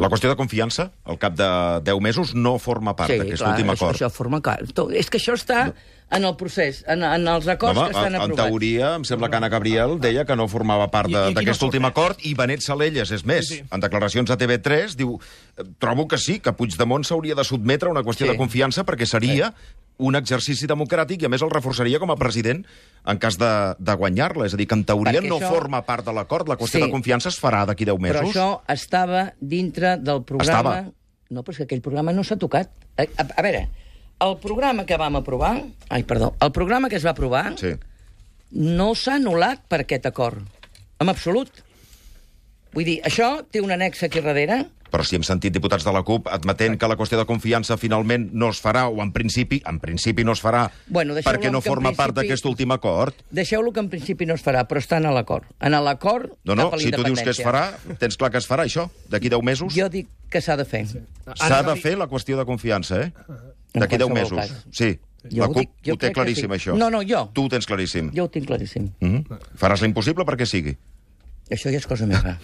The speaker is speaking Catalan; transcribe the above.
La qüestió de confiança, al cap de 10 mesos, no forma part d'aquest últim acord. Això forma part. És que això està en el procés, en els acords que estan aprovats. En teoria, em sembla que Anna Gabriel deia que no formava part d'aquest últim acord, i Benet Salellas, és més, en declaracions a TV3, diu: trobo que sí, que Puigdemont s'hauria de sotmetre a una qüestió de confiança perquè seria un exercici democràtic i, a més, el reforçaria com a president en cas de guanyar-la. És a dir, que en teoria no forma part de l'acord. La qüestió de confiança es farà d'aquí 10 mesos. Però això estava dintre del programa... No, però és que aquell programa no s'ha tocat. A veure, el programa que vam aprovar... el programa que es va aprovar no s'ha anul·lat per aquest acord. En absolut. Vull dir, això té un annex aquí darrere... Però si hem sentit diputats de la CUP admetent que la qüestió de confiança finalment no es farà, o en principi no es farà, perquè no forma part d'aquest últim acord. Deixeu-lo que en principi no es farà, però està en l'acord. En l'acord cap a la independència. Si tu dius que es farà, tens clar que es farà, això, d'aquí 10 mesos? Jo dic que s'ha de fer. S'ha de fer la qüestió de confiança, D'aquí 10 mesos. Sí. La CUP ho té claríssim, això. No, jo. Tu ho tens claríssim. Jo ho tinc claríssim. Faràs l'impossible perquè sigui. Això ja és cosa meva.